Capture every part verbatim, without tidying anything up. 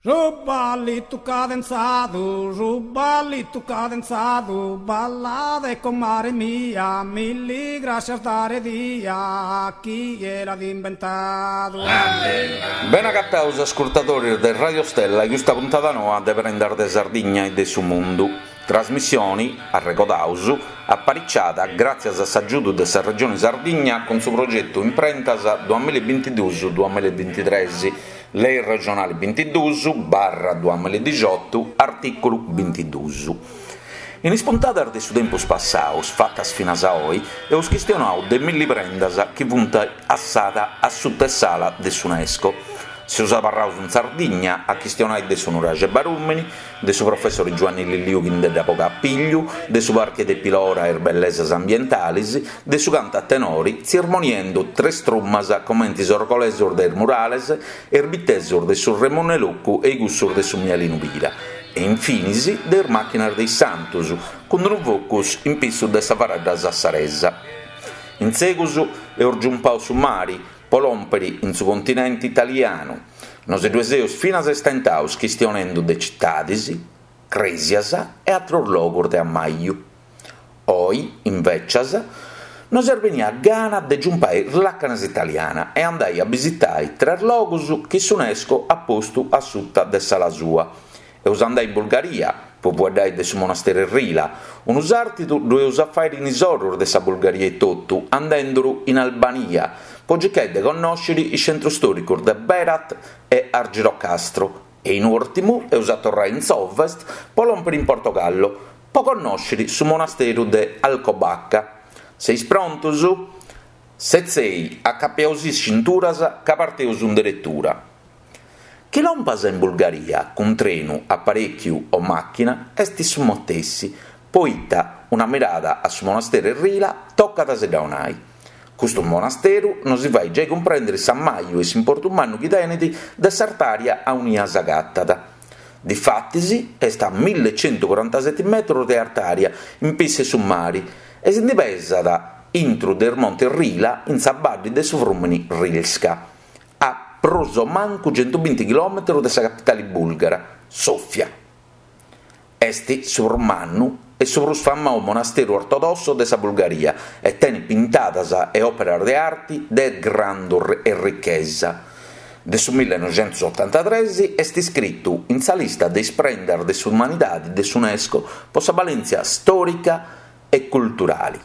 Su ballitu cadenzadu, su ballitu cadenzadu, ballade comare mia, milli grascias dare dia, chie l'at imbentadu. Bene agataus ascurtadoris de Radio Stella in custa puntada noa de Prendas de Sardigna e de su Mundu. Trasmissioni, arregodaus, apariciada gràtzias a s'agiudu de sa Regioni Sardigna cun su progetu Imprentas duamilla e bintiduus duamilla e bintitres, Lei regionali bintiduus barra duamilla e dixiotu, artìculu bintiduus. In is puntadas de su tempus passaus, fatas finas a oi, eus chistionau de milli prendas chi funt assada a suta 'e s'ala de s'Unesco. Seus abarraus in Sardigna a chistionai de su nuraxi 'e Barùmini, de su professori Giuanni Lilliu chi nde dda bogat a pigliu, de su parchi de Pilora e is bellesas ambientalis, de su cantu a tenori, tzirmoniendu tres trumas comenti is orgolesus de is murales e is bitesus de su Remunnu 'e Locu e i cussus de su Mialinu Pira, e infinis de is màchinas de is santus, cun unu focus in pissu de sa faradda sassaresa. In segus eus giumpau su mari po lòmpiri in su continenti italianu. Nos ddue seus finas istentaus chistionendu de citadis, crèsias e atrus logus de ammaju. Oi, invècias, nos est benia gana de giumpai is làcanas italiana e andai a bisitai tres logus chi s'Unesco at postu a suta de s'ala sua. Eus andai in Bulgaria po fueddai de su monasteru 'e Rila, unu sàrtidu ddu eus a fàiri in is orus de sa Bulgaria etotu, andenduru in Albania po circai de connòsciri is centrus stòricus de Berat e Argirocastro e in ùrtimu eus a torrai in s'ovest po lòmpiri in Portogallo po connòsciri su monasteru de Alcobaca. Seis prontus? Setzei, acapiaus is cinturas ca parteus in deretura. Chi lompas in Bulgaria cun trenu, aparèchiu o màchina est su matessi, poita una mirada a su monasteru 'e Rila tocat a si dda 'onai. Custu monasteru nosi fait giai cumprèndiri s'ammaju e s'importu mannu chi tenit de s'artària aunia s'agatat. Difatis est a millecentucorantaseti metrus de artària in pissu 'e su mari e si ndi pesat intru de is montis Rila in sa baddi de su frùmini Rilska, a prus o mancu centubinti chilòmetrus de sa capitali bùlgara, Sòfia. Est su prus mannu e su prus famau monasteru ortodosso de sa Bulgaria e tenit pintadas e òperas de arti de grandu errichesa. De su millenoixentusotantatres est iscritu in sa lista de is prendas de s'umanidadi de s'Unesco po sa balèntzia stòrica e culturali.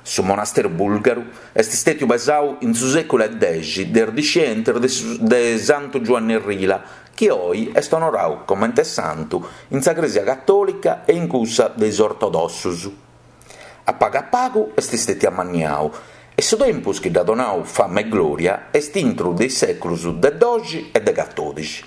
Su monasteru bùlgaru est stètiu pesau in su sèculu 'e dexi de is discientis de Santu Giuanni Rila, chi oi est onorau comente santu in sa Crèsia Catòlica e in cussa de is Ortodossus. A pagu a pagu est stètiu amanniau e su tempus chi dd'at donau fama e glòria est intru de is sèculus de doxi e de catòdixi.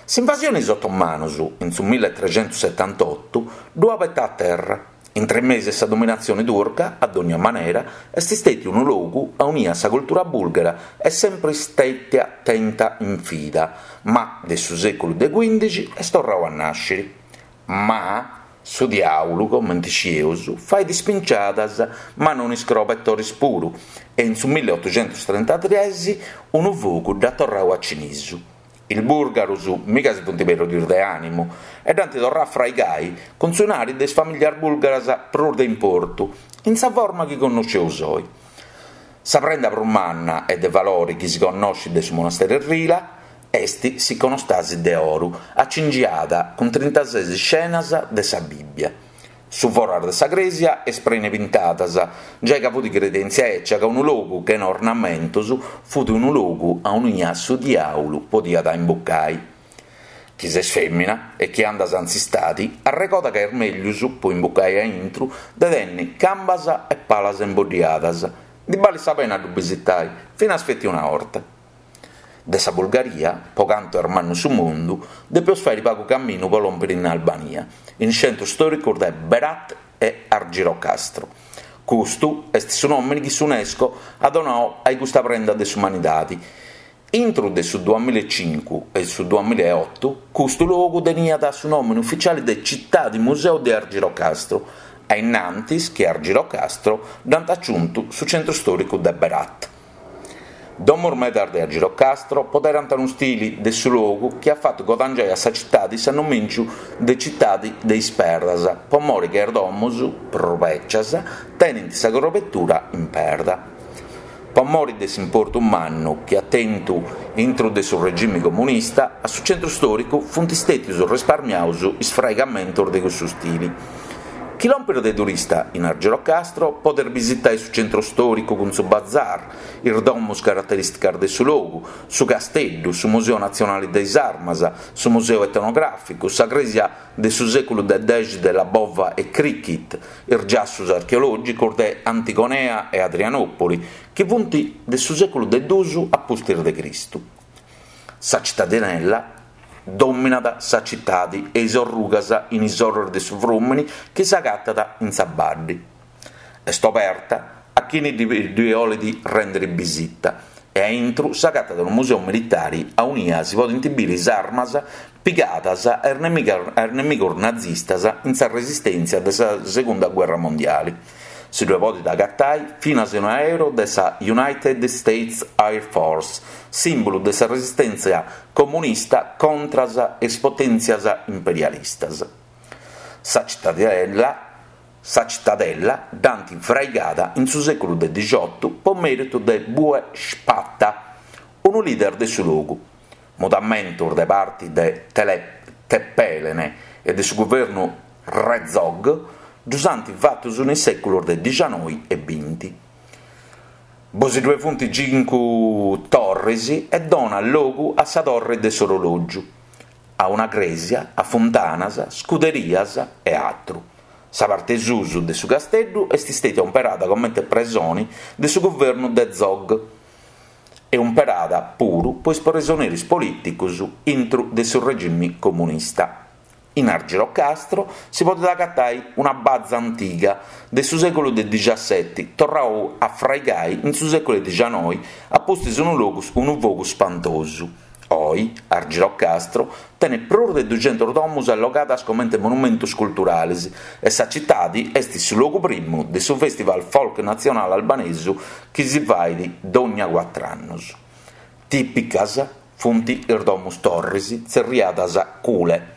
S'invasione 'e is otomanus in su milletrecentusetantotu ddu at betau a terra. Intre mesu 'e sa dominatzione turca, a dònnia manera, est stètiu unu logu aunia sa cultura bùlgara est sempri stètia tenta in fida, ma de su sèculu de cuìndixi est torrau a nàsciri. Ma su diàulu, comente scieus, fait ispinciadas, ma non is crobetoris puru, e in su milleotuxentustrentatres unu fogu dd'at torrau a cinisu. Is bùrgarus miga si funt perdius de ànimu e dd'ant torrau a fraigai cun su 'inari de is famìllias bùlgaras prus de importu, in sa forma chi connosceus oi. Sa prenda prus manna e de valori chi si connoscit de su monasteru 'e Rila est s'iconostasi de oru, acingiada cun trintases scenas de sa Bìbbia. Su foras de sa crèsia est prenu 'e pintadas, giai ca fut credèntzia 'ècia ca unu logu chena ornamentos fut unu logu aunia su diàulu podiat imbucai. Chi ses fèmina e chi andas in s'istadi, arregoda ca est mellus, po imbucai a intru, de tenni cambas e palas imboddiadas. Ndi balit sa pena a ddu bisitai, finas feti una 'orta. De sa Bulgaria, po cantu est mannu su mundu, depeus fàiri pagu caminu po lòmpiri in Albania, in is centrus stòricus de Berat e Argirocastro. Custu est su nòmini chi s'Unesco at donau a custa prenda de s'umanidadi. Intru de su duamilla e cincu e su duamilla e otu, custu logu teniat su nòmini ufitziali de Citadi Museu de Argirocastro, a innantis chi a Argirocastro dd'ant aciuntu su centru stòricu de Berat. Domus medas de Argirocastro poderant unu stili de su logu chi at fatu godangiai a sa citadi s'annomìngiu de Citadi de is Perdas, po mori chi is domus, prus bècias, tenint sa crobetura in perda. Po mori de s'importu mannu chi at tentu intru de su regimi comunista, a su centru stòricu funt stètius risparmiados is fraigamentos de cussu stili. Chi lompis de turista in Argirocastro podes bisitare su centru stòricu cun su bazar, is domus caraterìsticas de su logu, su casteddu, su Museu Natzionale de is Armas, su Museu Etnogràficu, sa crèsia de su sèculu de dexi de Labova e Crichit, is giassos archeològicos de Antigonea e Adrianòpoli, chi funt de su sèculu de duus a pustis de Cristu. Sa citadinella dominat sa citadi e is orrugas in is oros de su frùmini chi s'agatat in sa baddi. Est oberta a chini ddi bolit rèndere bisita e a intro s'agatat unu museu militare aunia si podent bìdere is armas pigadas a is nemigos nazistas in sa resistèntzia de sa Segunda Guerra Mondiale. Si ddoe podet agatare finas un'aereu de sa United States Air Force, sìmbulu de sa resistèntzia comunista contra is potèntzias imperialistas. Sa citadella, sa citadella dd'ant fraigada in su sèculu de dixiotu po mèritu de Bue Shpata, unu leader de su logu. Mudamentos de parte de Tepelene e de su guvernu Re Zog ddos ant fatos in is sèculos de dicianoi e binti. Bosi ddoe funt cincu torres e dona logu a sa torre de s'orològiu, a una crèsia, a funtanas, scuderias e atru. Sa parte susu de su casteddu est stètia umperada comente presone de su guvernu de Zog e umperada puru po is presoneris polìticos intro de su regime comunista. In Argirocastro si podet agatare una baza antiga de su sèculu de diciasseti, torradu a fraigai in su sèculu dicianoi a pustis unu logu unu fogu spantosu. Oi, Argirocastro tenet prus de duxentus domus allogadas comente monumentos culturales e sa citade est su logu primu de su Festival Folk Natzionale Albanesu chi si fait dogna cuatru annos. Tìpicas funt is domus torres tzerriadas cule,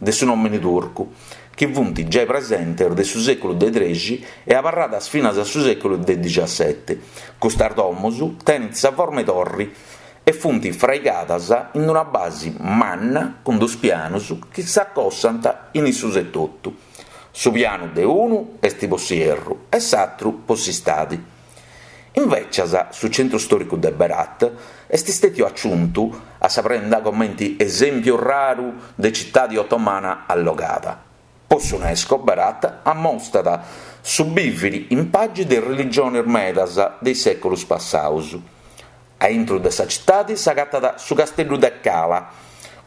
de su nòmine turcu, chi funt giai presentes de su sèculu de trexi e abarradas finas a su sèculu de diciassete. Custas domus tenent sa forma 'e torri e funt fraigadas in una base manna cun dus pianos chi s'acossant in issus etotu. Su pianu de unu est po s'ierru e s'atru po s'istadi. Invecias, su centru stòricu de Berat est stètiu aciuntu a sa prenda comente esèmpiu raru de citade otomana allogada. Po s'UNESCO Berat ammostat su bìvere in pagi de religiones medas de is sèculos passados. A intro de sa citade s'agatat su casteddu de Cala,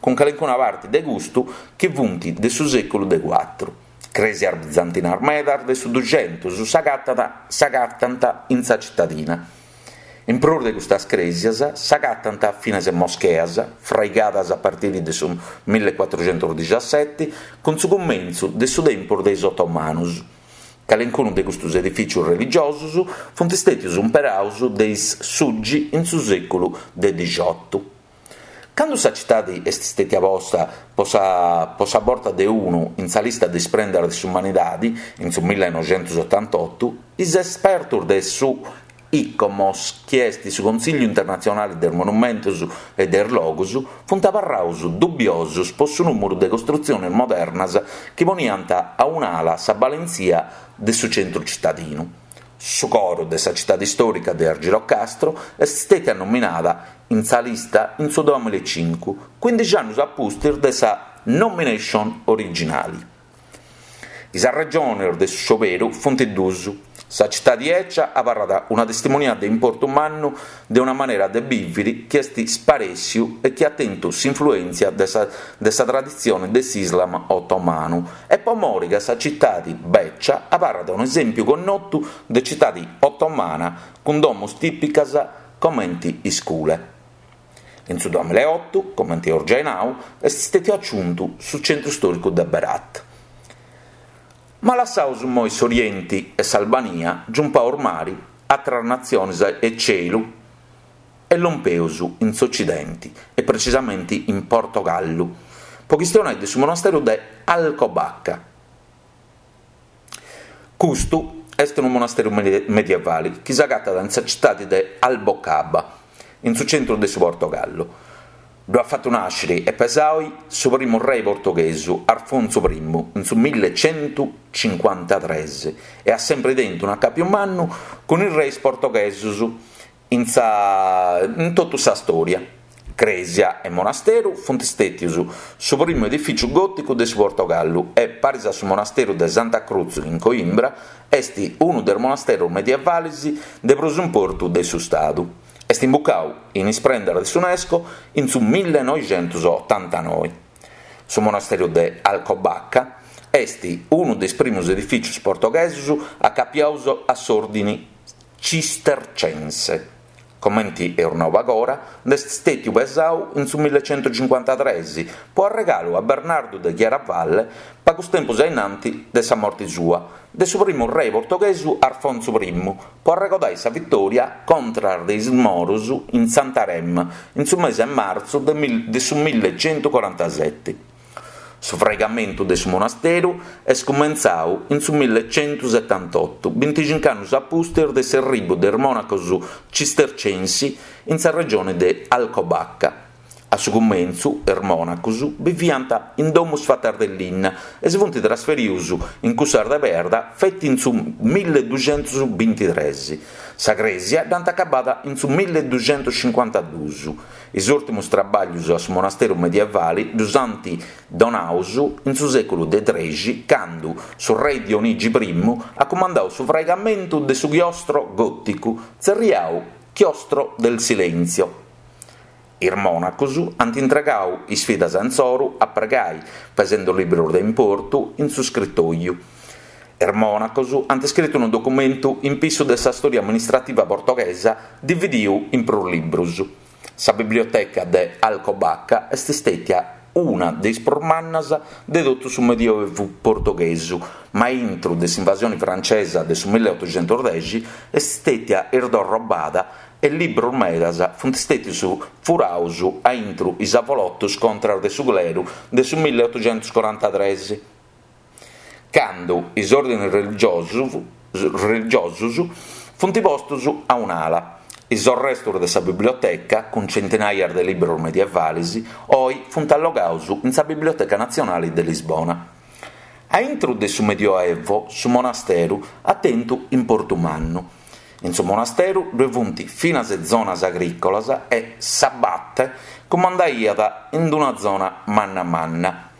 cun calincuna parte de custu chi funt de su sèculu de cuatru. Crèsias bizantinas medas de su duxentus s'agatant in sa citadina. In prus de custas crèsias s'agatant finas moscheas, fraigadas a partire de su millecuatruxentusdiciaseti, cun su cumentzu de su tempus de is otomanos. Calincunu de custos edifìtzios religiosos funt stètios umperados de is suggi in su sèculu de dixiotu. Cando sa citade est stètia posta po sa, po sa borta de unu in sa lista de is prendas de s'umanidade, in su millenoixentusotantotto, is espertos de su ICOMOS, chi est su Consiglio Internazionale de Monumentos e de Logos, funt abarrados dubbiosos po su nùmeru de costrutziones modernas chi poniant a un'ala sa balentzia de su centru cittadinu. Su coro de sa citade istòrica de Argirocastro est stètia nominada in sa lista in su duemillaecincu, quindixi annos a pustis de sa nomination originale. Is regiones de su scioberu funt duas. Sa citade ecia abarrat una testimonia de importu mannu de una manera de bìvere chi est sparèssiu e chi at tentu s'influèntzia de sa, de sa traditzione de s'Islam otomanu e po mori che sa citade becia abarrat un esèmpiu connotu de citade otomana cun domus tìpicas comente is cule. In su duemillaeoto, comente eus giai nau, est stètiu aciuntu su centru stòricu de Berat. Ma lassaus moi s'Orienti e s'Albania, giumpaus mari, atras natziones e celu e lompeus in s'Ocidenti, e precisamenti in Portogallu, po chistionai de su monasteru de Alcobaça. Custu est unu monasteru medievali chi s'agatat in sa citadi de Albocaba, in su centru de su Portogallu. Ddu at fatu nàsciri e pesai su primu rei portoghesu, Arfonsu primu, in su millecentucincuantatres, e at sempri tentu un'acàpiu mannu cun is reis portoghesos in sa in totu sa stòria. Crèsia e monasteru funt stètius su primu edifìciu gòticu de su Portogallu e, paris a su monasteru de Santa Cruz in Coimbra, est unu de is monasteros medievales de prus importu de su Stadu. Est imbucau in is prendas de s'UNESCO in su millenoixentusotantanoe. Su monasteru de Alcobaça est unu de is primus edifìcios portoghesos acapiados a s'òrdine cistercense. Comenti eus nau pagora, nd'est stètiu pesau in su millecentucincuantatres po arregalu a Bernardu de Chiaravalle pagus tempus a innanti de sa morti sua, de su primu rei portoghesu Arfonsu primu, po arregodai sa vitòria contra de is moros in Santarém in su mese 'e martzu de su millecentucorantaseti. Su fraigamentu de su monasteru est cumentzau in su millecentusetantotu, binticincu annus a pustis de s'erribu de is monacos cistercensi in sa regione de Alcobaça. A su cumentzu is monacos biviant in domus fatas de linna e si funt trasferius in cussas de perda feti in su milleduxentusbintitres. Sa crèsia dd'ant acabada in su milleduxentuscincuantaduus. Is ùrtimus trabàllios a su monasteru medievale ddus ant donaus in su sèculu de trexi, cando su rei Dionigi primu at cumandau su fraigamentu de su chiostro gòticu, tzerriau Chiostro del Silenzio. Is monacos ant intregau is fidas insoru a pregai, pesende libros de importu in su scritoju. Is monacos ant iscritu unu documentu in pissu de sa stòria amministrativa portoghesa dividiu in prus libros. Sa biblioteca de Alcobaça est stètia una de is prus mannas de totu su Medioevu portoghesu, ma intro de s'invasione francesa de su milleotoxentusdexi est stètia isdorrobada e libros medas funt stètius furaus a intro is avolotos contra de su cleru de su milleotoxentuscorantatres, cando is òrdines religiosos religiosos funt postos a un'ala. Is arrestos de sa biblioteca, cun centinaias de libros medievales, oi funt allogados in sa Biblioteca Natzionale de Lisbona. A intro de su Medioevo, su monasteru at tentu importu mannu. In su monasteru ddoe funt finas zonas agrìcolas e s'abate cumandaiat in una zona manna manna.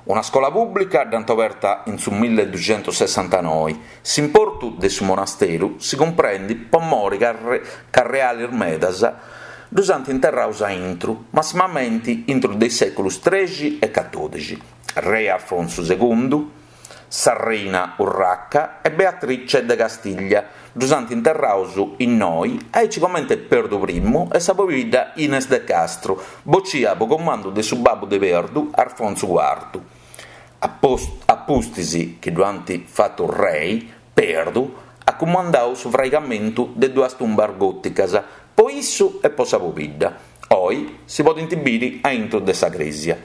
Una scola pùblica dd'ant oberta in su milleduxentusessantanoe. S'importu de su monasteru si cumprendet po more ca reales medas ddus ant interrados a intro, massimamente intro de is sèculos trexi e catòdixi. Re Alfonso segundu, sa reina Urraca e Beatrice de Castiglia ddus ant interrados innoi, aici comente Perdu primu e sa pobidda Ines de Castro, boccia po comandu de su babbu de Perdu, Arfonsu cuartu. A pustis chi ddu ant fatu rei, Perdu at cumandau su fraigamentu de duas tumbas gòticas, po issu e po sa pobidda. Oi si podent biri a intro de sa crèsia.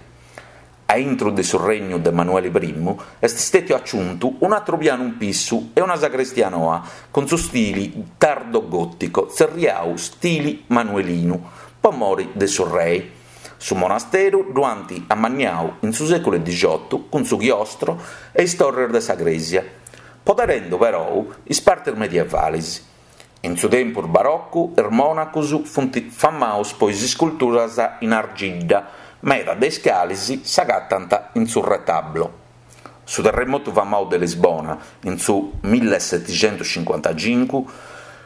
A intro de su regnu de Manuele primu est stètiu aciuntu un'atru pianu in pissu e una sacrestia noa, cun su stili tardo-gòtico, tzerriau stili manuelinu, po more de su rei. Su monasteru ddu ant ammanniau in su sèculu dixiotu cun su chiostro e is torres de sa crèsia, poderende però is partes medievales. In su tempus baroccu is monacos funt famados po is isculturas in argidda, meda de is cales s'agatant in su retablo. Su terremotu famadu de Lisbona in su millesetixentuscincuantacincu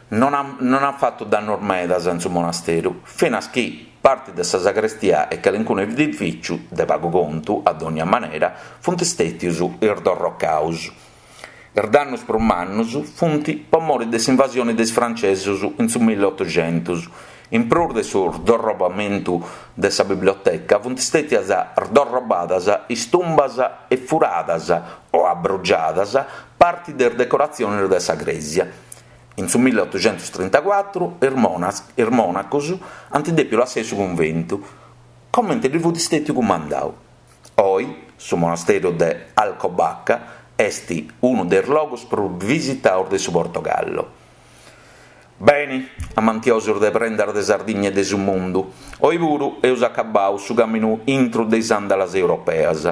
non at, non at fatu dannos medas in su monasteru, finas chi parte de sa sacrestia e calincunu edifìciu, de pagu contu, a dònnia manera, funt stètius isdorrocados. Is dannos prus mannos funt po more de s'invasione de is francesos in su milleotoxentus. In prus de su sdorrobamentu de sa biblioteca funt stètias sdorrobadas is tumbas e furadas o abrugiadas parte de is decoratziones de sa crèsia. In su milleotoxentustrintacuatru is is monacos ant dèpiu lassai su cunventu, comente ddis fut stètiu cumandau. Oi su monastèriu de Alcobaça est unu de is logus prus visitaus de su Portogallo. Beni, amantiosus de Prendas de Sardigna e de su mundu, oi puru eus acabau su caminu intru de is andalas europeas.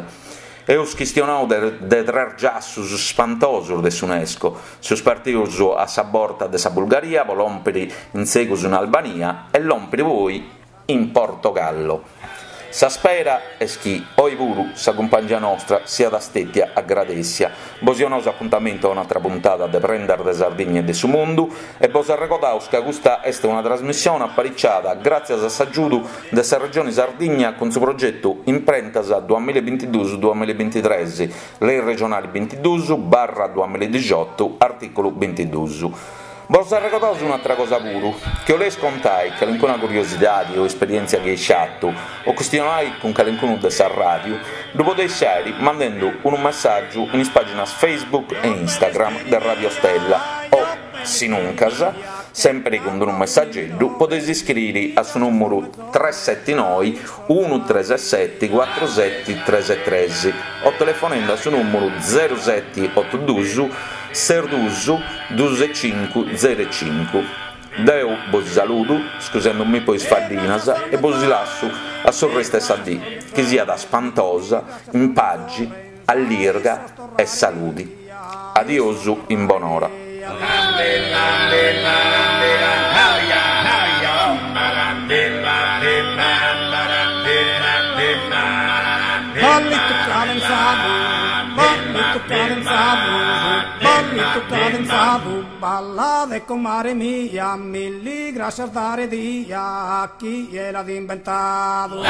Eus chistionau de de tres giassus spantosus de s'UNESCO, seus partius a sa borta de sa Bulgaria po lòmpiri in segus in Albania e lòmpiri poi in Portogallo. Sa spera est chi oi puru sa cumpangia nostra siat stètia agradèssia. Bos donaus apuntamentu a un'atra puntada de Prendas de Sardigna e de su Mundu e bos arregodaus ca custa est una trasmissione apariciada gràtzias a s'agiudu de sa Regione Sardigna cun su progetu Imprentas duamillabintiduus duamillabintitres, Lei regionale bintiduus barra duamilladixotu, artìculu bintiduus. Bos arregodaus un'atra cosa puru, chi 'oleis contai calincuna curiosidadi o esperièntzia chi eis fatu o chistionai cun calincunu de sa ràdiu, ddu podeis fàiri mandendu unu messàgiu in is pàginas Facebook e Instagram de Radio Stella o, sinuncas, sèmpiri cun unu messageddu, podeis iscriri a su nùmeru tres seti noi unu tres seti cuatru seti tres tres o telefonendu a su nùmeru zeru seti otu duus ses duus duus e cincu zeru e cincu. Deu bos saludu, scusendu-mi po is faddinas, e bos lassu a su restu 'e sa dì, chi siat spantosa, in pagi, allirga e saludi. Adiosu in bonora. Ballito cadenzado, ballito cadenzado, ballito cadenzado, balade comare mia, milli gracias dare dia a chi l'ha inventado.